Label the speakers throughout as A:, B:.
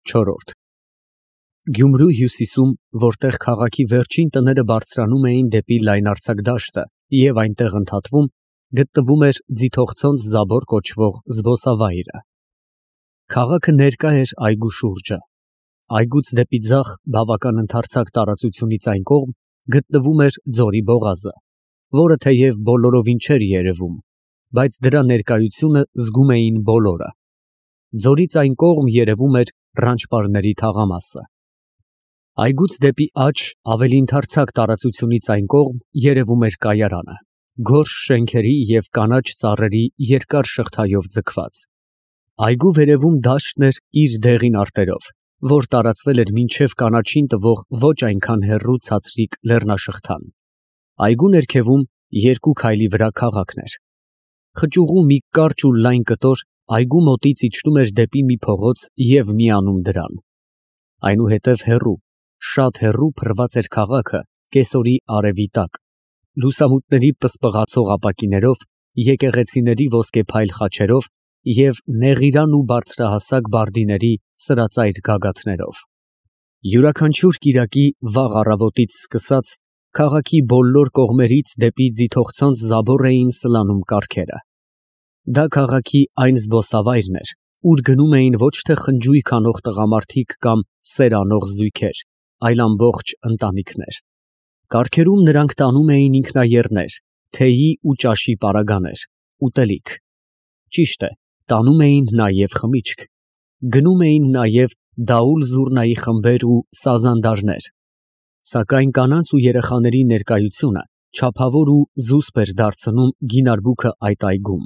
A: Չորրորդ Գյումրու հյուսիսում, որտեղ քաղաքի վերջին տները բարձրանում էին դեպի լայնարձակ դաշտը և այնտեղ ընդհատվում, գտնվում էր Ձիթողցոնց Զաբոր կոչվող զբոսավայրը։ Քաղաքը ներկա էր այգու շուրջը։ Այգուց դեպի ձախ բավական ընդարձակ տարածությունից այն կողմ գտնվում էր ձորի բողազը, որը թեև բոլորովին չէր երևում, բայց դրա ներկայությունը զգում էին բոլորը։ Ձորից այն կողմ երևում էր Ռանչպարների թաղամասը։ Այգուց դեպի աջ ավելի ընդարձակ տարածությունից այն կողմ երևում էր կայարանը, գորշ շենքերի և կանաչ ծառերի երկար շղթայով ձգված։ Այգու վերևում դաշտն էր իր դեղին արտերով, որ տարածվել էր մինչև կանաչին տվող ոչ այնքան հեռու ցածրիկ լեռնաշղթան։ Այգու ներքևում երկու քայլի վրա քաղաքն էր։ Խճուղու մի կարճ ու լայն կտոր այգու մոտից իջնում էր դեպի մի փողոց և միանում դրան։ Այնուհետև հեռու, շատ հեռու փռված էր քաղաքը կեսօրի արևի տակ, լուսամուտների պսպղացող ապակիներով, եկեղեցիների ոսկեփայլ խաչերով և նեղիրան ու բարձրահասակ բարդիների սրածայր գագաթներով։ Յուրաքանչյուր կիրակի վաղ առավոտից սկսած քաղաքի բոլոր կողմերից դեպի Ձիթողցոնց Զաբոր էին սլանում կառքերը։ Դա քաղաքի այն զբոսավայրն էր, ուր գնում էին ոչ թե խնջույք անող տղամարդիկ կամ սեր անող զույգեր, այլ ամբողջ ընտանիքներ։ Կառքերում նրանք տանում էին ինքնաեռներ, թեյի ու ճաշի պարագաներ, ուտելիք։ Ճիշտ է, տանում էին նաև խմիչք։ Գնում էին նաև դաուլ֊զուռնայի խմբեր ու սազանդարներ։ Սակայն կանանց ու երեխաների ներկայությունը չափավոր ու զուսպ էր դարձնում գինարբուքը այդ այգում։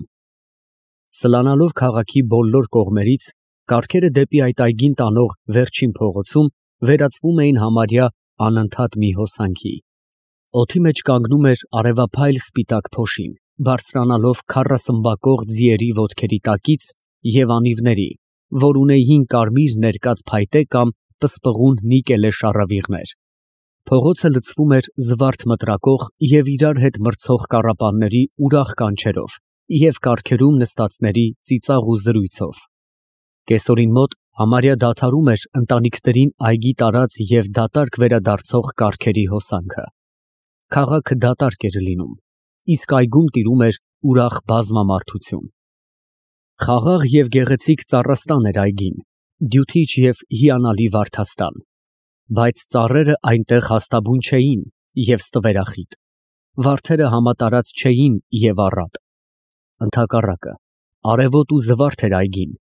A: Սլանալով քաղաքի բոլոր կողմերից, կառքերը դեպի այդ այգին տանող վերջին փողոցում վերածվում էին համարյա անընդհատ մի հոսանքի։ Օդի մեջ կանգնում էր արևափայլ սպիտակ փոշին, բարձրանալով քառասմբակող ձիերի ոտքերի տակից և անիվների, որ ունեին կարմիր ներկած փայտե կամ պսպղուն նիկելե շառավիղներ։ Փողոցը լցվում էր զվարթ մտրակող և իրար հետ մրցող կառապանների ուրախ կանչերով և կառքերում նստածների ծիծաղ ու զրույցով։ Կեսօրին մոտ համարյա դադարում էր ընտանիքներին այգի տարած և դատարկ վերադարձող կառքերի հոսանքը։ Քաղաքը դատարկ էր լինում, իսկ այգում տիրում էր ուրախ բազմամարդություն։ Խաղաղ և գեղեցիկ ծառաստան էր այգին, դյութիչ և հիանալի վարդաստան, բայց ծառերը այնտեղ հաստաբուն չէին և ստվերախիտ, վարդերը համատարած չէին և առատ։ Ընդհակառակը, արևոտ ու զվարթ էր այգին,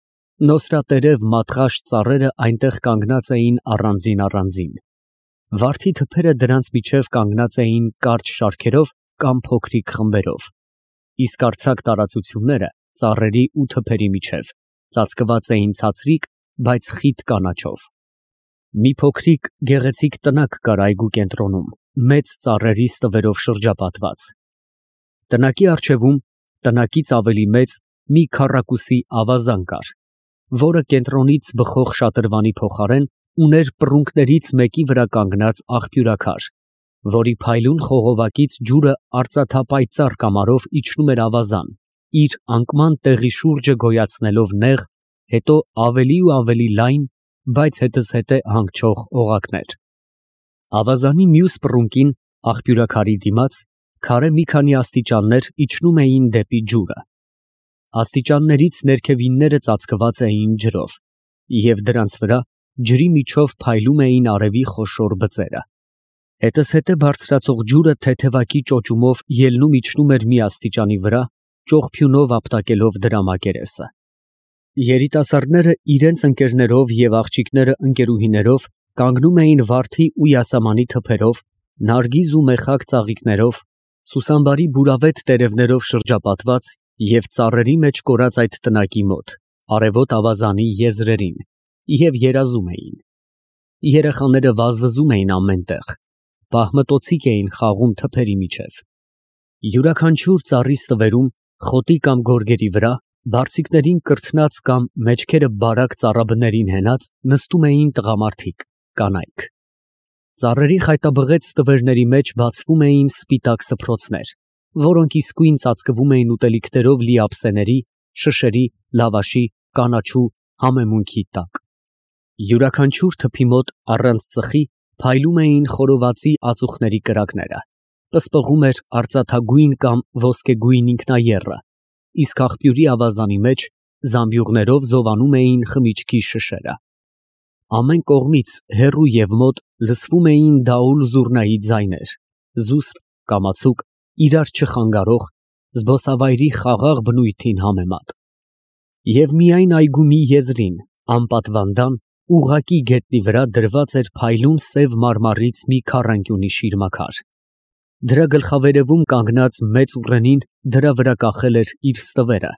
A: նոսրատերև մատղաշ ծառերը այնտեղ կանգնած էին առանձին։ Վարդի թփերը դրանց միջև կանգնած էին կարճ շարքերով կամ փոքրիկ խմբերով, իսկ արձակ տարածությունները ծառերի ու թփերի միջև ծածկված էին ցածրիկ, բայց խիտ կանաչով։ Մի փոքրիկ գեղեցիկ տնակ կար այգու կենտրոնում, մեծ ծառերի ստվերով շրջապատված։ Տնակի առջևում տնակից ավելի մեծ մի քառակուսի ավազան կար, որը կենտրոնից բխող շատրվանի փոխարեն ուներ պռունգներից մեկի վրա կանգնած աղբյուրաքար, որի փայլուն խողովակից ջուրը արծաթապայծառ կամարով իջնում էր ավազան, իր անկման տեղի շուրջը գոյացնելով նեղ, հետո ավելի ու ավելի լայն, բայց հետզհետե հանգչող օղակներ։ Ավազանի մյուս պռունգին, աղբյուրաքարի դիմաց, քարե մի քանի աստիճաններ իջնում էին դեպի ջուրը։ Աստիճաններից ներքևինները ծածկված էին ջրով, և դրանց վրա ջրի միջով փայլում էին արևի խոշոր բծերը։ Հետզհետե բարձրացող ջուրը թեթևակի ճոճումով ելնում էր մի աստիճանի վրա, ճողփյունով ապտակելով դրա մակերեսը։ Երիտասարդները իրենց ընկերներով և աղջիկները ընկերուհիներով կանգնում էին վարդի ու յասամանի թփերով, նարգիզ ու մեխակ ծաղիկներով, սուսամբարի բուրավետ տերևներով շրջապատված և ծառերի մեջ կորած այդ տնակի մոտ, արևոտ ավազանի եզրերին, և երազում էին։ Երեխաները վազվզում էին ամեն տեղ, պահմտոցիկ էին խաղում թփերի միջև։ Յուրաքանչյուր ծառի ստվերում, խոտի կամ գորգերի վրա, բարձիկներին կրթնած կամ մեջքերը բարակ ծառաբներին հենած, նստում էին տղամարդիկ, կանայք։ Ծառերի խայտաբղետ ստվերների մեջ բացվում էին սպիտակ սփռոցներ, որոնք իսկույն ծածկվում էին ուտելիքներով լի ափսեների, շշերի, լավաշի, կանաչու, համեմունքի տակ։ Յուրաքանչյուր թփի մոտ առանց ծխի փայլում էին խորովածի ածուխների կրակները, պսպղում էր արծաթագույն կամ ոսկեգույն ինքնաեռը, իսկ աղբյուրի ավազանի մեջ զամբյուղներով զովանում էին խմիչքի շշերը։ Ամեն կողմից հեռու և մոտ լսվում էին դաուլ֊զուռնայի ձայներ, զուսպ, կամացուկ, իրար չխանգարող, զբոսավայրի խաղաղ բնույթին համեմատ։ Եվ միայն այգու մի եզրին, անպատվանդան, ուղղակի գետնի վրա դրված էր փայլուն սև մարմարից մի քառանկյունի շիրմաքար։ Դրա գլխավերևում կանգնած մեծ ուռենին դրա վրա կախել էր իր ստվերը,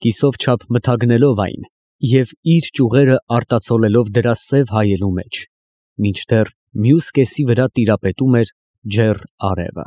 A: կիսով չափ մթագնելով այն և իր ճյուղերը արտացոլելով դրա սև հայելու մեջ, մինչդեռ մյուս կեսի վրա տիրապետում էր ջեռ արևը։